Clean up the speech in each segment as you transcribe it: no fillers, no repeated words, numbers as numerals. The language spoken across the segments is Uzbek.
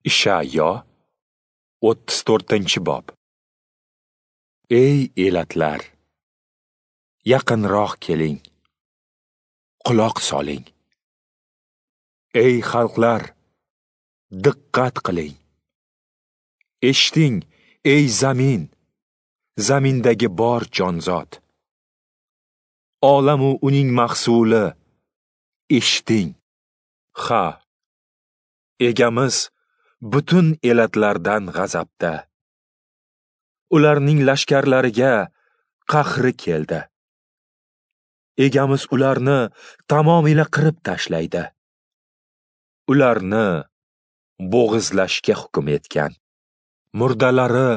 Ishayo 34-bob. Ey elatlar, yaqinroq keling, quloq soling. Ey xalqlar, diqqat qiling. Eshiting, ey zamin, zamindagi bor jonzot. Olamu uning mahsuli, eshiting. Ha, egamiz butun elatlardan g'azabda. Ularning lashkarlariga qahri keldi. Egamiz ularni tamomila qirib tashlaydi. Ularni bo'g'izlashga hukm etgan. Murdalari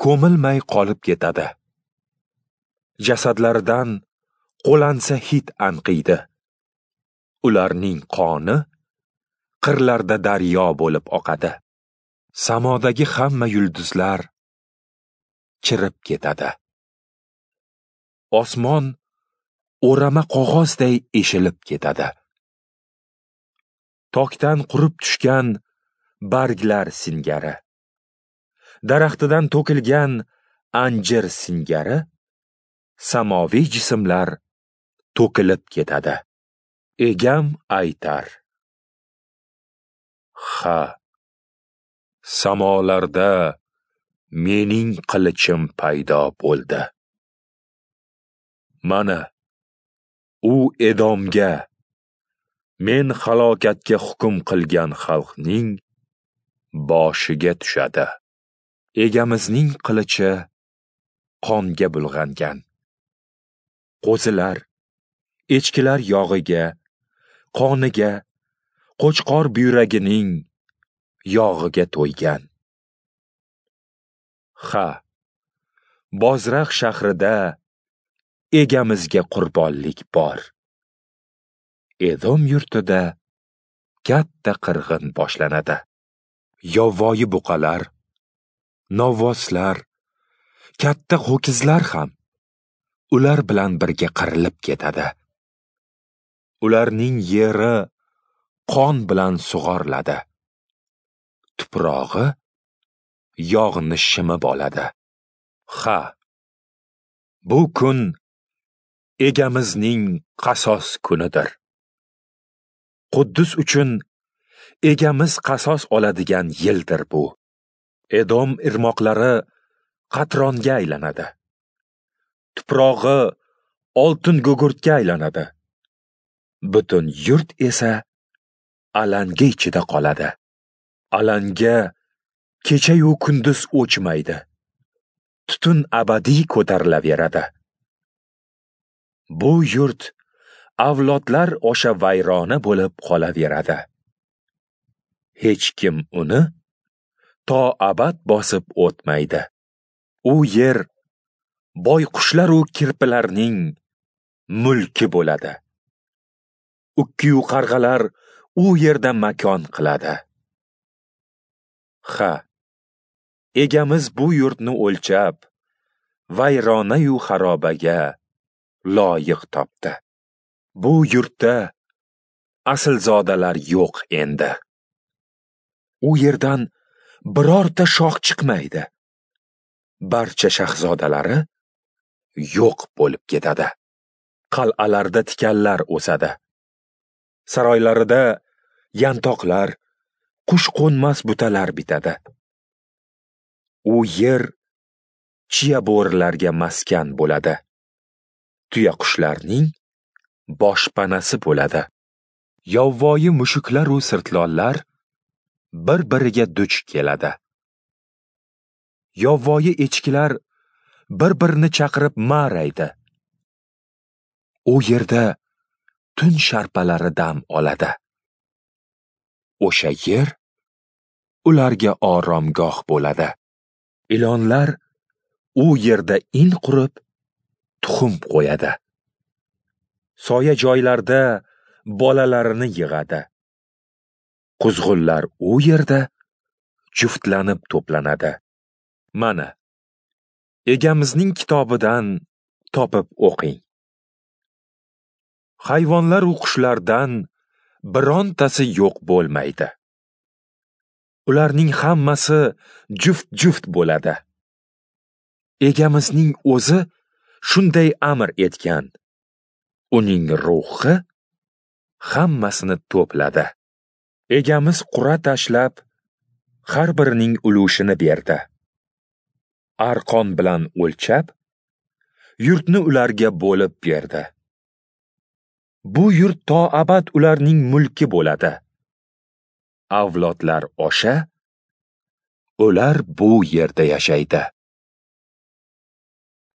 ko'milmay qolib ketadi. Jasadlaridan qo'lansa hid anqiydi. Ularning qoni qirlarda daryo bo'lib oqadi. Samodagi hamma yulduzlar chirib ketadi. Osmon o'rama qog'ozday eshilib ketadi. Tokdan qurib tushgan barglar singari, daraxtidan to'kilgan anjir singari samoviy jismlar to'kilib ketadi. Egam aytar: ha, samolarda mening qilichim paydo bo'ldi. Mana, u Edomga, men halokatga hukm qilgan xalqning boshiga tushadi. Egamizning qilichi qonga bulg'angan. Qo'zilar, echkilar yog'iga, qoniga, qo'chqor buyragining yog'iga to'ygan. Ha, Bozraq shahrida egamizga qurbonlik bor. Edom yurtida katta qirg'in boshlanadi. Yovvoyi buqalar, novvoslar, katta ho'kizlar ham ular bilan birga qirilib ketadi. Ularning yeri qon bilan sug'oriladi. Tuprog'i yog'ni shimib oladi. Ha, bu kun egamizning qasos kunidir. Quddus uchun egamiz qasos oladigan yildir bu. Edom irmoqlari qatronga aylanadi. Tuprog'i oltin gugurtga aylanadi. Butun yurt esa alanga ichida qoladi. Alanga kecha-yu kunduz o'chmaydi. Tutun abadiy ko'tarilaveradi. Bu yurt avlodlar osha vayrona bo'lib qolaveradi. Hech kim uni to abad bosib o'tmaydi. U yer boyqushlar u kirpilarning mulki bo'ladi. Ukkiyu qarg'alar u yerda makon qiladi. Ha, egamiz bu yurtni o'lchab, vayronayu xarobaga loyiq topdi. Bu yurtda aslzodalar yo'q endi. U yerdan birorta shoh chiqmaydi. Barcha shahzodalari yo'q bo'lib ketadi. Qal'alarda tikanlar o'sadi. Saroylarida yantoqlar, qush qo'nmas butalar bitadi. U yer chiya bo'rilarga maskan bo'ladi. Tuyaqushlarning boshpanasi bo'ladi. Yovvoyi mushuklar u sirtlonlar bir-biriga duch keladi. Yovvoyi echkilar bir-birini chaqirib ma'raydi. U yerda tun sharpalari dam oladi. O'sha yer ularga oromgoh bo'ladi. Ilonlar u yerda in qurib, tuxum qo'yadi. Soya joylarda bolalarini yig'adi. Quzg'unlar u yerda juftlanib to'planadi. Mana, egamizning kitobidan topib o'qing. Hayvonlar u qushlardan birontasi yo'q bo'lmaydi. Ularning hammasi juft-juft bo'ladi. Egamizning o'zi shunday amr etgan. Uning ruhi hammasini to'pladi. Egamiz qur'a tashlab, har birining ulushini berdi. Arqon bilan o'lchab, yurtni ularga bo'lib berdi. Bu yurt to abad ularning mulki bo'ladi. Avlodlar osha, ular bu yerda yashaydi.